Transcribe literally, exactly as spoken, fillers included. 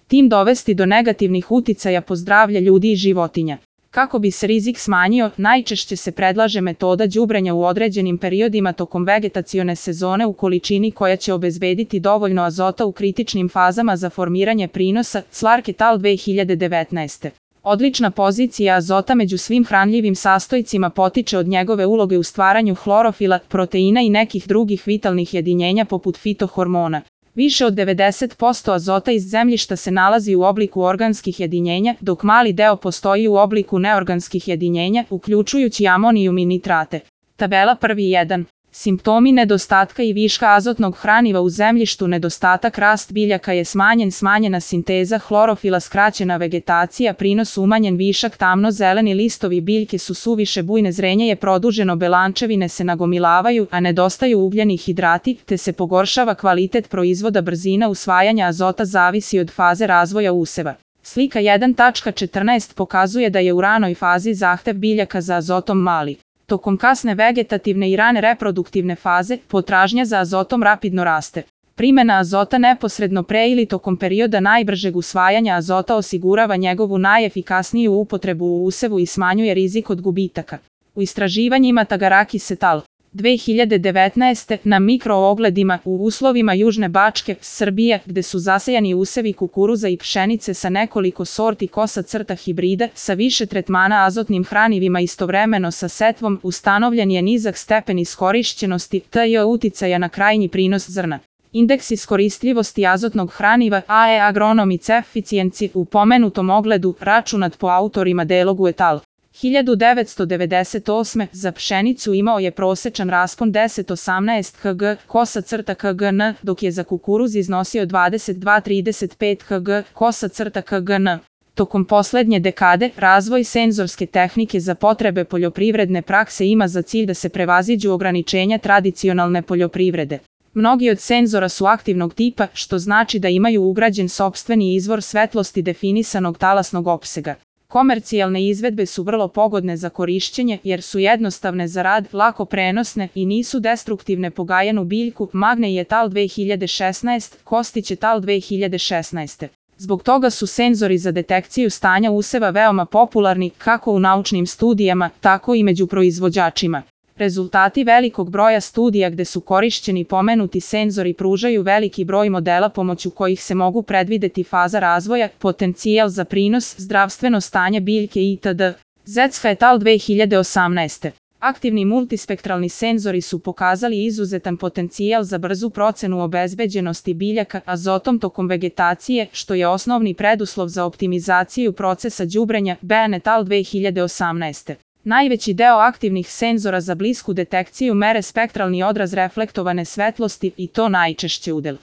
tim dovesti do negativnih uticaja po zdravlje ljudi i životinja. Kako bi se rizik smanjio, najčešće se predlaže metoda đubrenja u određenim periodima tokom vegetacione sezone u količini koja će obezbediti dovoljno azota u kritičnim fazama za formiranje prinosa, Clark et al. dve hiljade devetnaeste. Odlična pozicija azota među svim hranljivim sastojcima potiče od njegove uloge u stvaranju hlorofila, proteina i nekih drugih vitalnih jedinjenja poput fitohormona. Više od devedeset posto azota iz zemljišta se nalazi u obliku organskih jedinjenja, dok mali deo postoji u obliku neorganskih jedinjenja, uključujući amonijum i nitrate. Tabela prvi jedan. Simptomi nedostatka i viška azotnog hraniva u zemljištu. Nedostatak, rast biljaka je smanjen, smanjena sinteza hlorofila, skraćena vegetacija, prinos umanjen, višak, tamno-zeleni listovi biljke su suviše bujne, zrenje je produženo, belančevine se nagomilavaju, a nedostaju ugljeni hidrati, te se pogoršava kvalitet proizvoda. Brzina usvajanja azota zavisi od faze razvoja useva. Slika jedan tačka četrnaest pokazuje da je u ranoj fazi zahtev biljaka za azotom mali. Tokom kasne vegetativne i rane reproduktivne faze, potražnja za azotom rapidno raste. Primena azota neposredno pre ili tokom perioda najbržeg usvajanja azota osigurava njegovu najefikasniju upotrebu u usevu i smanjuje rizik od gubitaka. U istraživanjima Tagarakis et al. dve hiljade devetnaeste. na mikroogledima u uslovima Južne Bačke, Srbije, gde su zasejani usevi kukuruza i pšenice sa nekoliko sorti kosa crta hibrida, sa više tretmana azotnim hranivima istovremeno sa setvom, ustanovljen je nizak stepen iskorišćenosti, tj. uticaja na krajnji prinos zrna. Indeks iskoristljivosti azotnog hraniva A E Agronomics Efficiency u pomenutom ogledu, računat po autorima Delogu et al. hiljadu devetsto devedeset osme. za pšenicu imao je prosečan raspon deset zarez osamnaest kilograma kosa crta kgn, dok je za kukuruz iznosio dvadeset dva zarez trideset pet kilograma kosa crta kgn. Tokom poslednje dekade, razvoj senzorske tehnike za potrebe poljoprivredne prakse ima za cilj da se prevaziđu ograničenja tradicionalne poljoprivrede. Mnogi od senzora su aktivnog tipa, što znači da imaju ugrađen sopstveni izvor svetlosti definisanog talasnog opsega. Komercijalne izvedbe su vrlo pogodne za korišćenje jer su jednostavne za rad, lako prenosne i nisu destruktivne po gajenu biljku. Magney et al. dve hiljade šesnaeste. Kostić et al. dve hiljade šesnaeste. Zbog toga su senzori za detekciju stanja useva veoma popularni kako u naučnim studijama, tako i među proizvođačima. Rezultati velikog broja studija gde su korišćeni pomenuti senzori pružaju veliki broj modela pomoću kojih se mogu predvideti faza razvoja, potencijal za prinos, zdravstveno stanje biljke itd. Zecka et al. dve hiljade osamnaeste. Aktivni multispektralni senzori su pokazali izuzetan potencijal za brzu procenu obezbeđenosti biljaka azotom tokom vegetacije, što je osnovni preduslov za optimizaciju procesa đubrenja. Ben et al. dve hiljade osamnaeste. Najveći deo aktivnih senzora za blisku detekciju mere spektralni odraz reflektovane svetlosti i to najčešće udel